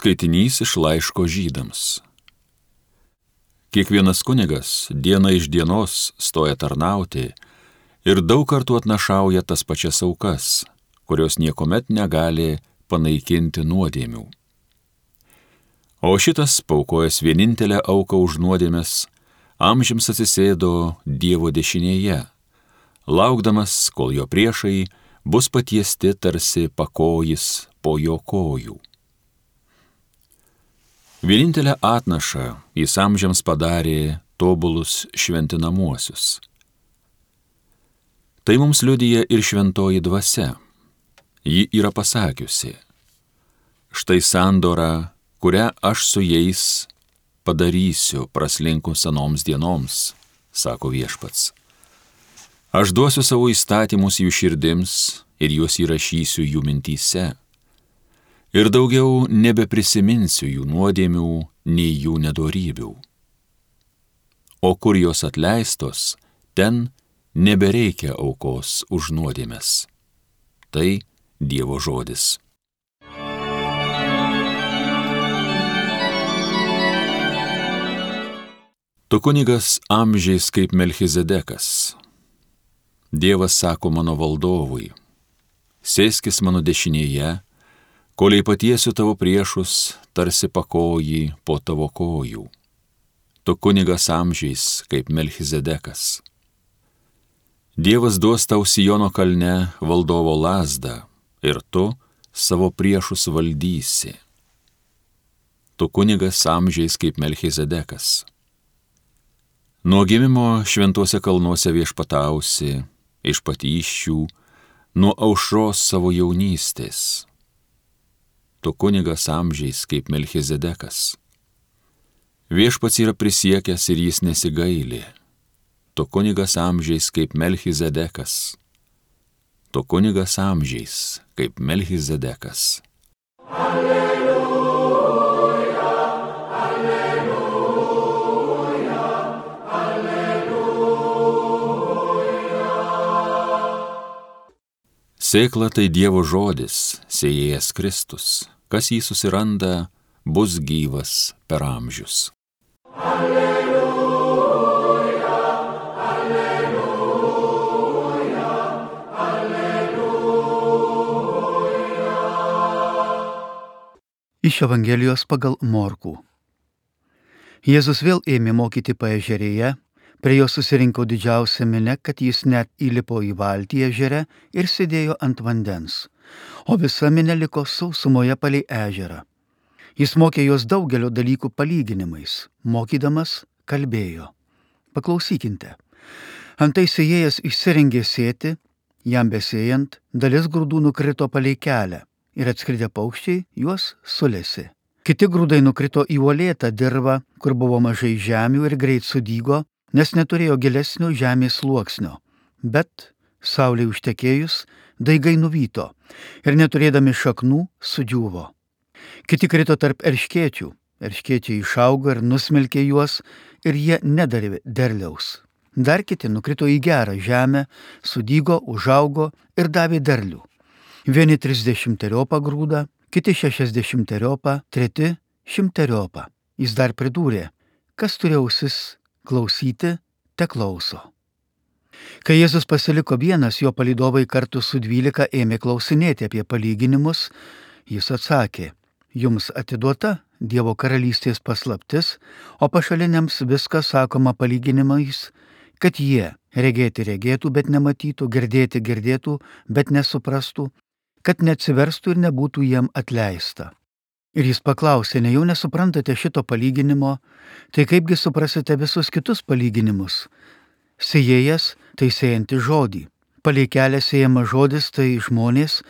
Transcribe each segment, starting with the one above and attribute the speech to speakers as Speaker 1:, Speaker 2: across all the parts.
Speaker 1: Skaitinys iš laiško Žydams. Kiekvienas kunigas diena iš dienos stoja tarnauti ir daug kartų atnašauja tas pačias aukas, kurios niekuomet negali panaikinti nuodėmių. O šitas, paukojęs vienintelę auką už nuodėmes, amžiams atsisėdo Dievo dešinėje, laukdamas, kol jo priešai bus patiesti tarsi pakojis po jo kojų. Vienintelę atnašą jis amžiams padarė tobulus šventinamuosius. Tai mums liudija ir šventoji dvasia. Ji yra pasakiusi: štai sandora, kurią aš su jais padarysiu praslinkus senoms dienoms, sako Viešpats. Aš duosiu savo įstatymus jų širdims ir juos įrašysiu jų mintyse. Ir daugiau nebeprisiminsiu jų nuodėmių, nei jų nedorybių. O kur jos atleistos, ten nebereikia aukos už nuodėmes. Tai Dievo žodis. Tu kunigas amžiais kaip Melchizedekas. Dievas sako mano valdovui: sėskis mano dešinėje, kol patiesiu tavo priešus, tarsi pakojį po tavo kojų. Tu kunigas amžiais kaip Melchizedekas. Dievas duos tau Siono kalne valdovo lazdą ir tu savo priešus valdysi. Tu kunigas amžiais kaip Melchizedekas. Nuo gimimo šventuose kalnuose viešpatausi, iš patyščių, nuo aušros savo jaunystės. Tu kunigas amžiais kaip Melchizedekas. Viešpats yra prisiekęs ir jis nesigaili. Tu kunigas amžiais kaip Melchizedekas. Tu kunigas amžiais kaip Melchizedekas. Alleluja, alleluja, alleluja. Sėkla tai Dievo žodis, sėjėjas Kristus. Kas jį susiranda, bus gyvas per amžius. Alleluja, alleluja, alleluja.
Speaker 2: Iš Evangelijos pagal Morkų. Jėzus vėl ėmė mokyti paežerėje, prie jo susirinko didžiausia minia, kad jis net įlipo į valtį ežere ir sėdėjo ant vandens, o visa minia liko sausumoje palei ežerą. Jis mokė juos daugelio dalykų palyginimais, mokydamas kalbėjo. Paklausykite. Antai sėjėjas išsirengė sėti, jam besėjant, dalis grūdų nukrito palei kelią ir atskridę paukščiai juos sulėsi. Kiti grūdai nukrito į uolėtą dirvą, kur buvo mažai žemių ir greit sudygo, nes neturėjo gilesnio žemės sluoksnio. Bet saulei užtekėjus, daigai nuvyto ir neturėdami šaknų sudžiūvo. Kiti krito tarp erškėčių. Erškėčiai išaugo ir nusmelkė juos ir jie nedarė derliaus. Dar kiti nukrito į gerą žemę, sudygo, užaugo ir davė derlių. Vieni 30 grūdą, kiti 60, treti 100. Jis dar pridūrė: kas turi ausis klausyti, te klauso. Kai Jėzus pasiliko vienas, jo palydovai kartu su 12 ėmė klausinėti apie palyginimus, jis atsakė: jums atiduota Dievo karalystės paslaptis, o pašaliniams viskas sakoma palyginimais, kad jie regėti regėtų, bet nematytų, girdėti girdėtų, bet nesuprastų, kad neatsiverstų ir nebūtų jiem atleista. Ir jis paklausė: nejau nesuprantate šito palyginimo, tai kaipgi suprasite visus kitus palyginimus? Sėjėjas tai sėjanti žodį. Palei kelią sėjamas žodis tai žmonės,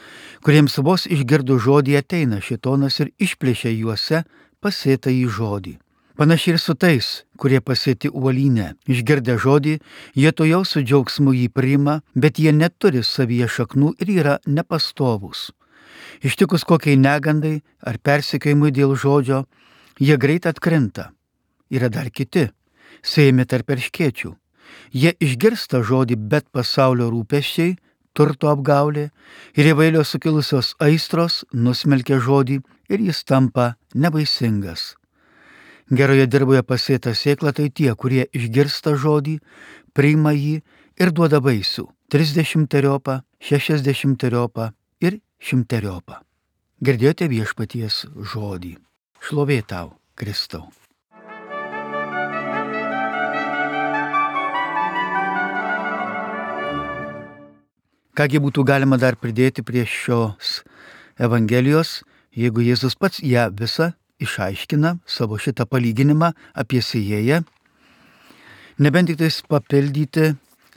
Speaker 2: kuriems vos išgirdus žodį ateina šėtonas ir išplėšia juose pasėtą į žodį. Panašiai ir su tais, kurie pasėti uolyne. Išgirdę žodį, jie tojau su džiaugsmu jį priima, bet jie neturi savyje šaknų ir yra nepastovūs. Ištikus kokiai negandai ar persekiojimui dėl žodžio, jie greit atkrinta. Yra dar kiti, sėjami tarp erškėčių. Jie išgirsta žodį, bet pasaulio rūpesčiai, turto apgaulė ir įvairios sukilusios aistros nusmelkia žodį ir jis tampa nevaisingas. Geroje dirboje pasėta sėkla tai tie, kurie išgirsta žodį, priima jį ir duoda vaisių 30-teriopą, 60-teriopą ir 100-teriopą. Girdėjote viešpaties žodį. Šlovė tau, Kristau. Kągi būtų galima dar pridėti prie šios Evangelijos, jeigu Jėzus pats ją visą išaiškina, savo šitą palyginimą apie sėjėją, nebent tik tais papildyti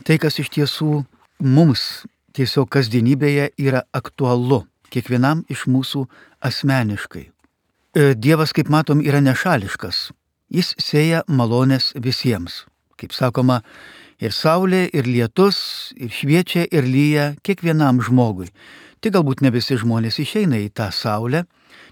Speaker 2: tai, kas iš tiesų mums tiesiog kasdienybėje yra aktualu, kiekvienam iš mūsų asmeniškai. Dievas, kaip matom, yra nešališkas. Jis sėja malonės visiems. Kaip sakoma, ir saulė, ir lietus, ir šviečia, ir lyja kiekvienam žmogui. Tai galbūt ne visi žmonės išeina į tą saulę,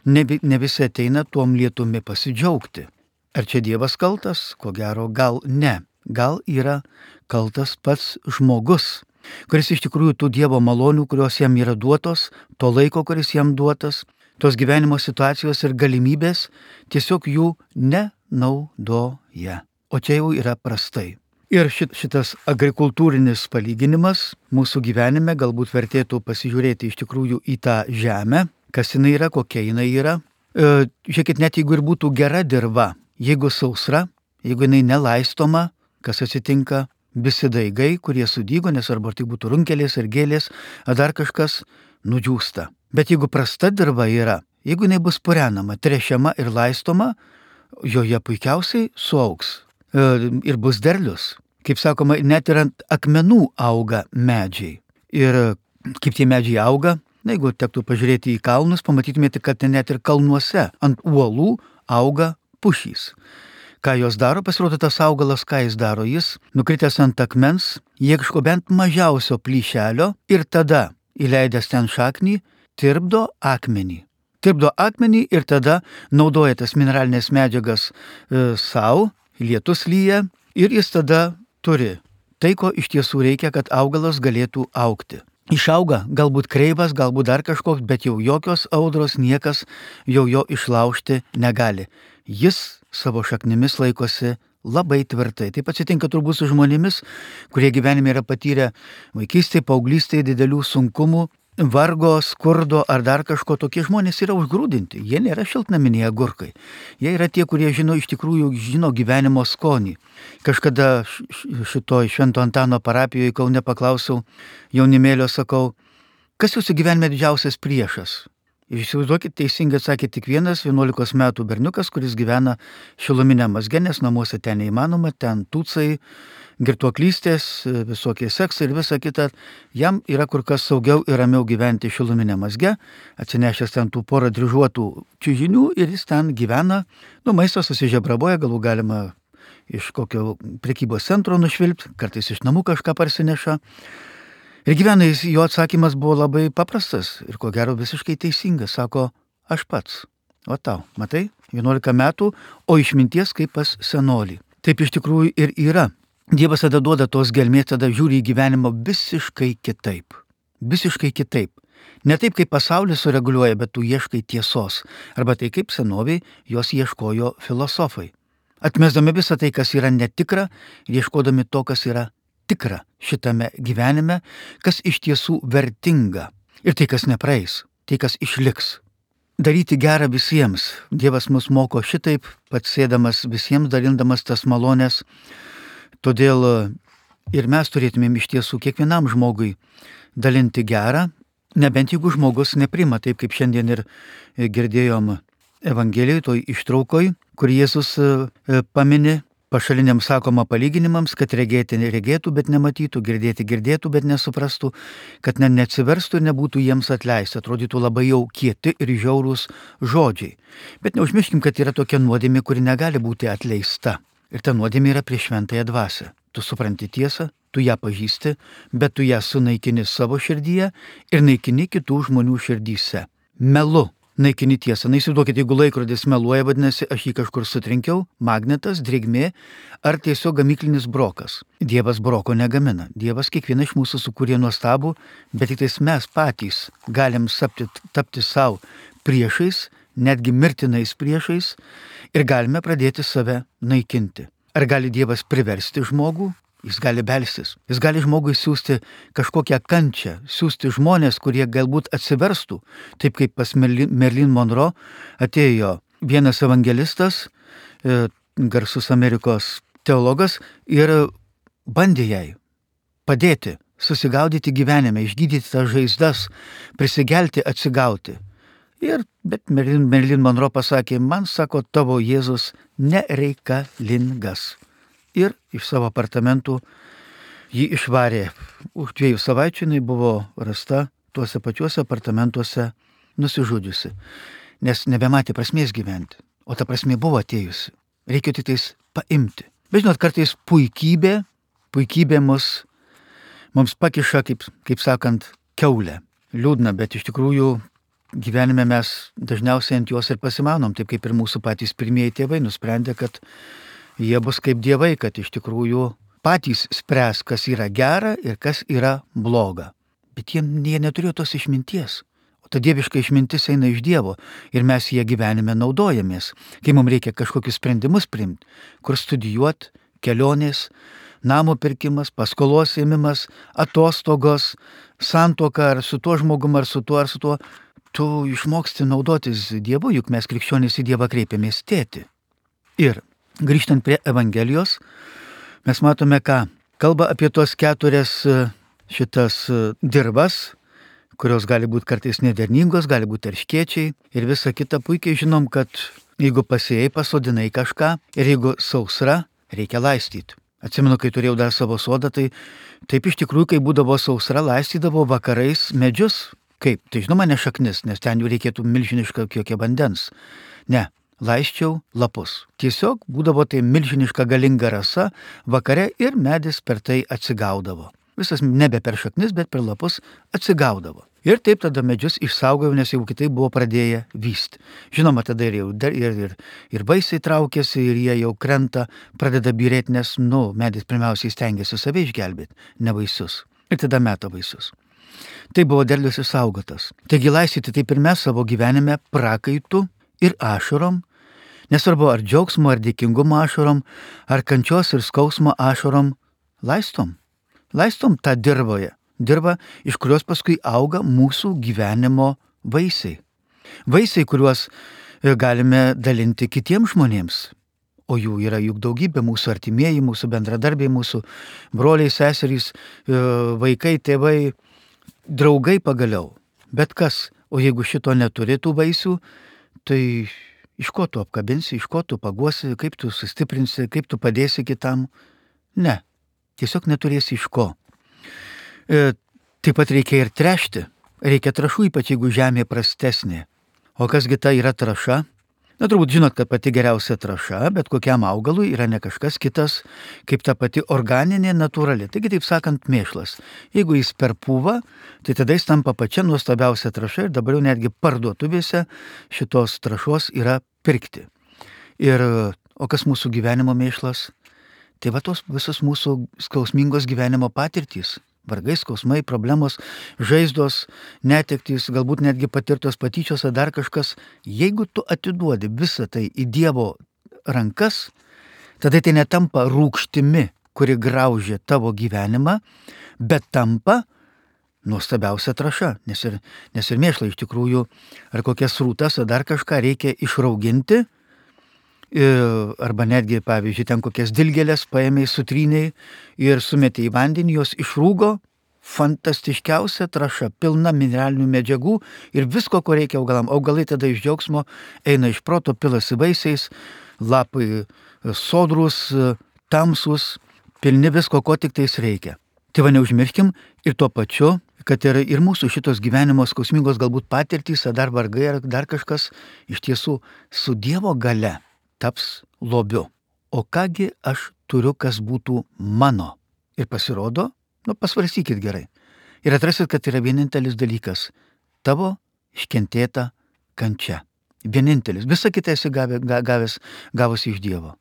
Speaker 2: ne visi ateina tuom lietumi pasidžiaugti. Ar čia Dievas kaltas? Ko gero, gal ne. Gal yra kaltas pats žmogus, kuris iš tikrųjų tų Dievo malonių, kurios jam yra duotos, to laiko, kuris jam duotas, tos gyvenimo situacijos ir galimybės, tiesiog jų nenaudoja. O čia jau yra prastai. Ir šitas agrikultūrinis palyginimas mūsų gyvenime galbūt vertėtų pasižiūrėti iš tikrųjų į tą žemę, kas jinai yra, kokia jinai yra. Žiūrėkit, net jeigu ir būtų gera dirva, jeigu sausra, jeigu jinai nelaistoma, kas atsitinka, visi daigai, kurie sudygo, nesvarbu ar tai būtų runkelės ar gėlės, ar dar kažkas, nudžiūsta. Bet jeigu prasta dirva yra, jeigu jinai bus purenama, trešiama ir laistoma, joje puikiausiai suaugs ir bus derlius. Kaip sakoma, net ir ant akmenų auga medžiai. Ir kaip tie medžiai auga, jeigu tektų pažiūrėti į kalnus, pamatytumėte, kad net ir kalnuose ant uolų auga pušys. Ką jos daro? Pasirodo, tas augalas, ką jis daro? Jis, nukritęs ant akmens, ieško bent mažiausio plyšelio ir tada, įleidęs ten šaknį, tirpdo akmenį. Tirpdo akmenį ir tada naudoja tas mineralinės medžiagas savo, lietus lyja ir jis tada turi tai, ko iš tiesų reikia, kad augalas galėtų augti. Išauga, galbūt kreivas, galbūt dar kažkoks, bet jau jokios audros niekas jau jo išlaužti negali. Jis savo šaknimis laikosi labai tvirtai. Taip atsitinka turbūt su žmonėmis, kurie gyvenime yra patyrę vaikystėje, paauglystėje didelių sunkumų, vargo, skurdo ar dar kažko. Tokie žmonės yra užgrūdinti. Jie nėra šiltnaminiai agurkai. Jie yra tie, kurie iš tikrųjų žino gyvenimo skonį. Kažkada šitoj Švento Antano parapijoje Kaune paklausiau jaunimėlio, sakau, kas jūsų gyvenime didžiausias priešas? Ir įsivaizduokit, teisingai atsakė tik vienas 11 metų berniukas, kuris gyvena Šiluminiam mazge, nes namuose ten neįmanoma, ten tūcai, girtuoklystės, visokie seksai ir visa kita. Jam yra kur kas saugiau ir ramiau gyventi Šiluminiam mazge, atsinešęs ten tų porą dryžuotų čiužinių ir jis ten gyvena. Maisto susižebraboja, galų galima iš kokio prekybos centro nušvilpti, kartais iš namų kažką parsineša. Ir gyvena jis, jo atsakymas buvo labai paprastas ir ko gero visiškai teisingas. Sako, aš pats. O tau, matai, 11 metų, o išminties kaip pas senolį. Taip iš tikrųjų ir yra. Dievas tada duoda tos gelmės, tada žiūri į gyvenimą visiškai kitaip. Visiškai kitaip. Ne taip, kaip pasaulis sureguliuoja, bet tu ieškai tiesos. Arba tai kaip senoviai jos ieškojo filosofai. Atmesdami visą tai, kas yra netikra, ir ieškodami to, kas yra tikra šitame gyvenime, kas iš tiesų vertinga. Ir tai, kas nepraeis, tai, kas išliks. Daryti gerą visiems. Dievas mus moko šitaip, pats sėdamas visiems, dalindamas tas malonės. Todėl ir mes turėtumėm iš tiesų kiekvienam žmogui dalinti gerą, nebent jeigu žmogus neprima, taip kaip šiandien ir girdėjom Evangelijoje, toj ištraukoj, kur Jėzus pamini pašaliniam sakoma palyginimams, kad regėti neregėtų, bet nematytų, girdėti girdėtų, bet nesuprastų, kad neatsiverstų ir nebūtų jiems atleista. Atrodytų labai jau kieti ir žiaurūs žodžiai. Bet neužmirškim, kad yra tokia nuodėmė, kuri negali būti atleista. Ir ta nuodėmė yra prieš šventąją dvasią. Tu supranti tiesą, tu ją pažįsti, bet tu ją sunaikini savo širdyje ir naikini kitų žmonių širdyse. Melu naikini tiesą. Na įsivaizduokit, jeigu laikrodis meluoja, vadinasi, aš jį kažkur sutrinkiau, magnetas, drėgmė ar tiesiog gamyklinis brokas. Dievas broko negamina. Dievas kiekvieną iš mūsų sukūrė nuostabų, bet tik tais mes patys galim tapti savo priešais, netgi mirtinais priešais ir galime pradėti save naikinti. Ar gali Dievas priversti žmogų? Jis gali belstis. Jis gali žmogui siūsti kažkokią kančią, siūsti žmonės, kurie galbūt atsiverstų, taip kaip pas Marilyn Monroe atėjo vienas evangelistas, garsus Amerikos teologas, ir bandė jai padėti susigaudyti gyvenime, išgydyti tas žaizdas, prisigelti, atsigauti. Bet Marilyn Monroe pasakė, man, sako, tavo Jėzus nereikalingas. Ir iš savo apartamentų jį išvarė. Už 2 savaičių jinai buvo rasta tuose pačiuose apartamentuose nusižudžiusi, nes nebematė prasmės gyventi, o ta prasmė buvo atėjusi. Reikia tik tais paimti. Bet žinot, kartais puikybė mums pakiša, kaip sakant, kiaulę. Liūdna, bet iš tikrųjų gyvenime mes dažniausiai ant jos ir pasimanom, taip kaip ir mūsų patys pirmieji tėvai nusprendė, kad jie bus kaip dievai, kad iš tikrųjų patys spręs, kas yra gera ir kas yra bloga. Bet jie neturėjo tos išminties. O ta dieviška išmintis eina iš Dievo ir mes ją gyvenime naudojamės, kai mums reikia kažkokius sprendimus priimti, kur studijuoti, kelionės, namo pirkimas, paskolos ėmimas, atostogos, santuoka ar su tuo žmogum, ar su tuo. Tu išmoksti naudotis Dievu, juk mes krikščionys į Dievą kreipiamės tėti. Ir grįžtant prie Evangelijos, mes matome, ką kalba apie tos 4 šitas dirvas, kurios gali būti kartais nederningos, gali būti erškėčiai ir visa kita. Puikiai žinom, kad jeigu pasėjai, pasodinai kažką ir jeigu sausra, reikia laistyti. Atsimenu, kai turėjau dar savo sodą, tai taip iš tikrųjų, kai būdavo sausra, laistydavo vakarais medžius. Kaip? Tai žinoma, ne šaknis, nes ten jau reikėtų milžinišką kiekį vandens. Ne. Laisčiau lapus. Tiesiog būdavo tai milžiniška galinga rasa vakare ir medis per tai atsigaudavo. Visas nebe per šaknis, bet per lapus atsigaudavo. Ir taip tada medžius išsaugojau, nes jau kitaip buvo pradėję vysti. Žinoma, tada ir vaisiai traukėsi ir jie jau krenta, pradeda byrėti, nes, medis pirmiausiai stengiasi save išgelbėti, ne vaisius. Ir tada meta vaisius. Tai buvo derlius išsaugotas. Taigi laistyti taip ir mes savo gyvenime prakaitų ir ašarom, nesvarbu ar džiaugsmo, ar dėkingumo ašarom, ar kančios ir skausmo ašarom, laistom tą dirvą, iš kurios paskui auga mūsų gyvenimo vaisiai. Vaisiai, kuriuos galime dalinti kitiems žmonėms, o jų yra juk daugybė, mūsų artimieji, mūsų bendradarbiai, mūsų broliai, seserys, vaikai, tėvai, draugai pagaliau. Bet kas, o jeigu šito neturi tų vaisių, tai iš ko tu apkabinsi, iš ko tu paguosi, kaip tu sustiprinsi, kaip tu padėsi kitam? Ne, tiesiog neturėsi iš ko. Taip pat reikia ir tręšti. Reikia trąšų, ypač jeigu žemė prastesnė. O kasgi ta yra trąša? Turbūt žinot, kad pati geriausia trąša, bet kokiam augalui yra ne kažkas kitas, kaip ta pati organinė, natūrali. Taigi, taip sakant, mėšlas. Jeigu jis per pūvą, tai tada jis tampa pačia nuostabiausia trąša ir dabar jau netgi parduotuvėse šitos trąšos yra pirkti. O kas mūsų gyvenimo mėšlas? Tai va tos visos mūsų skausmingos gyvenimo patirtys. Vargai, skausmai, problemos, žaizdos, netektys, galbūt netgi patirtos patyčios ar dar kažkas. Jeigu tu atiduodi visą tai į Dievo rankas, tada tai netampa rūgštimi, kuri graužia tavo gyvenimą, bet tampa nuostabiausia trąša. Nes ir mėšlą iš tikrųjų, ar kokias rūtas, ar dar kažką reikia išrauginti, arba netgi, pavyzdžiui, ten kokias dilgėlės paėmė, sutrynė ir sumetė į vandenį, jos išrūgo, fantastiškiausia trąša, pilna mineralinių medžiagų ir visko, ko reikia augalam. Augalai tada iš džiaugsmo eina iš proto, pilasi vaisiais, lapai sodrus, tamsus, pilni visko, ko tik tais reikia. Tai va neužmirškim ir tuo pačiu, kad ir mūsų šitos gyvenimo skausmingos galbūt patirtys, ar dar vargai, ar dar kažkas iš tiesų su Dievo galia taps lobiu. O kągi aš turiu, kas būtų mano? Ir pasirodo, pasvarstykit gerai. Ir atrasit, kad yra vienintelis dalykas - tavo iškentėta kančia. Vienintelis. Visa kita esi gavusi iš Dievo.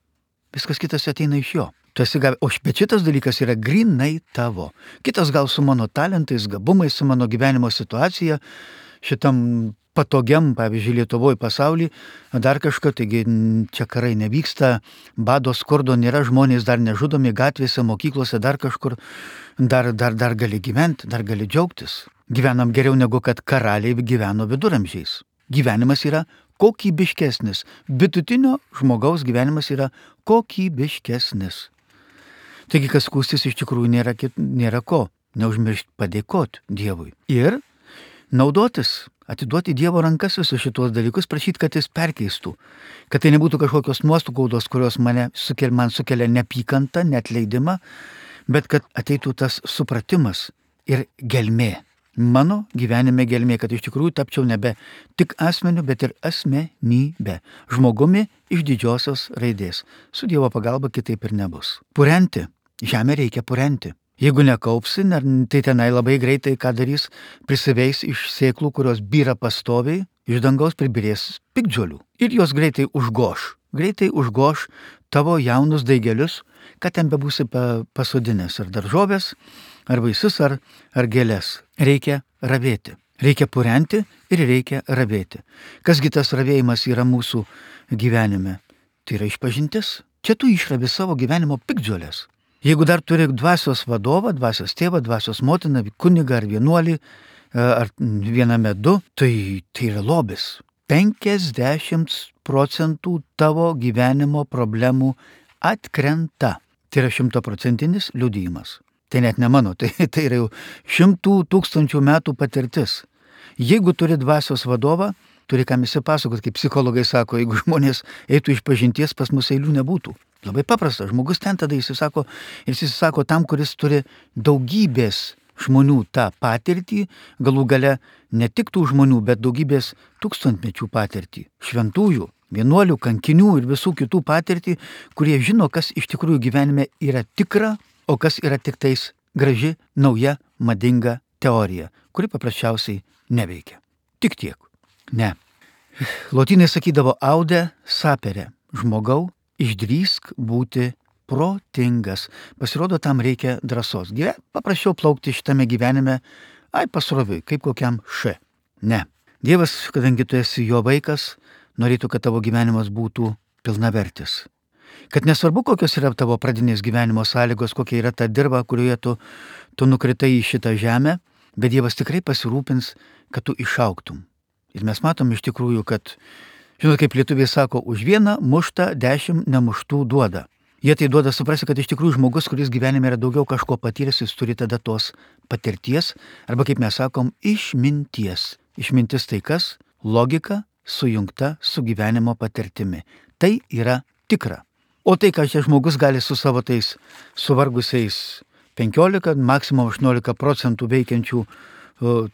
Speaker 2: Viskas kitas ateina iš jo. Tu esi gavęs, o šitas dalykas yra grinai tavo. Kitas gal su mano talentais, gabumais, su mano gyvenimo situacija, šitam patogiam, pavyzdžiui, Lietuvoje pasaulyje, dar kažką, taigi čia karai nevyksta, bado skurdo nėra, žmonės dar nežudomi gatvėse, mokyklose, dar kažkur, dar gali gyventi, dar gali džiaugtis. Gyvenam geriau negu kad karaliai gyveno viduramžiais. Gyvenimas yra kokybiškesnis. Vidutinio žmogaus gyvenimas yra kokybiškesnis. Taigi, kas skųstis iš tikrųjų nėra ko. Neužmiršti padėkoti Dievui. Ir naudotis, atiduoti Dievo rankas visus šitos dalykus, prašyti, kad jis perkeistų. Kad tai nebūtų kažkokios nuostokaudos, kurios man sukelia neapykantą, neatleidimą, bet kad ateitų tas supratimas ir gelmė. Mano gyvenime gelmė, kad iš tikrųjų tapčiau nebe tik asmeniu, bet ir asmenybė. Žmogumi iš didžiosios raidės. Su Dievo pagalba kitaip ir nebus. Purenti. Žemę reikia purenti. Jeigu nekaupsi, tai tenai labai greitai ką darys, prisiveis iš sėklų, kurios byra pastoviai, iš dangaus pribirės piktžolių. Ir jos greitai užgoš tavo jaunus daigelius, kad ten bebūsi pasodinęs ar daržovės, ar vaisius, ar gėlės. Reikia ravėti. Reikia purenti ir reikia ravėti. Kasgi tas ravėjimas yra mūsų gyvenime? Tai yra išpažintis. Čia tu išravi savo gyvenimo piktžolės. Jeigu dar turi dvasios vadovą, dvasios tėvą, dvasios motiną, kunigą ar vienuolį, ar viename du, tai yra lobis. 50% tavo gyvenimo problemų atkrenta. Tai yra 100% liudijimas. Tai net ne mano, tai yra jau 100 000 metų patirtis. Jeigu turi dvasios vadovą, turi kam įsipasakot, kaip psichologai sako, jeigu žmonės eitų iš pažinties, pas mus eilių nebūtų. Labai paprasta, žmogus ten tada įsisako tam, kuris turi daugybės žmonių tą patirtį, galų gale ne tik tų žmonių, bet daugybės tūkstantmečių patirtį, šventųjų, vienuolių, kankinių ir visų kitų patirtį, kurie žino, kas iš tikrųjų gyvenime yra tikra, o kas yra tik tais graži, nauja, madinga teorija, kuri paprasčiausiai neveikia. Tik tiek. Ne. Lotynai sakydavo aude sapere, žmogau, išdrįsk būti protingas. Pasirodo, tam reikia drąsos. Paprasčiau plaukti šitame gyvenime, pasroviui, kaip kokiam Ne. Dievas, kadangi tu esi jo vaikas, norėtų, kad tavo gyvenimas būtų pilnavertis. Kad nesvarbu, kokios yra tavo pradinės gyvenimo sąlygos, kokia yra ta dirva, kurioje tu nukritai į šitą žemę, bet Dievas tikrai pasirūpins, kad tu išaugtum. Ir mes matom iš tikrųjų, kad, žinot, kaip lietuviai sako, už vieną muštą 10 nemuštų duoda. Jie tai duoda suprasti, kad iš tikrųjų žmogus, kuris gyvenime yra daugiau kažko patyręs, jis turi tada tos patirties, arba kaip mes sakom, išminties. Išmintis tai kas? Logika sujungta su gyvenimo patirtimi. Tai yra tikra. O tai, ką čia žmogus gali su savo tais suvargusiais 15, maksimum 18% veikiančių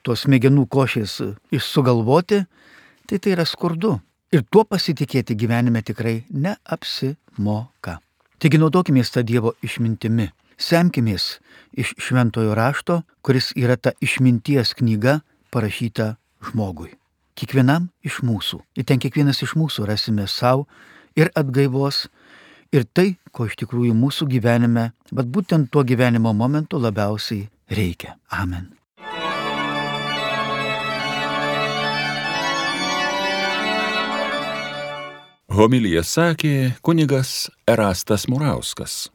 Speaker 2: tos smegenų košės sugalvoti, tai yra skurdu. Ir tuo pasitikėti gyvenime tikrai neapsimoka. Taigi naudokimės tą Dievo išmintimi. Semkimės iš šventojo rašto, kuris yra ta išminties knyga parašyta žmogui. Kiekvienam iš mūsų. Ir ten kiekvienas iš mūsų rasime savo ir atgaivos, ir tai, ko iš tikrųjų mūsų gyvenime, bet būtent tuo gyvenimo momentu labiausiai reikia. Amen.
Speaker 1: Homiliją sakė kunigas Erastas Murauskas.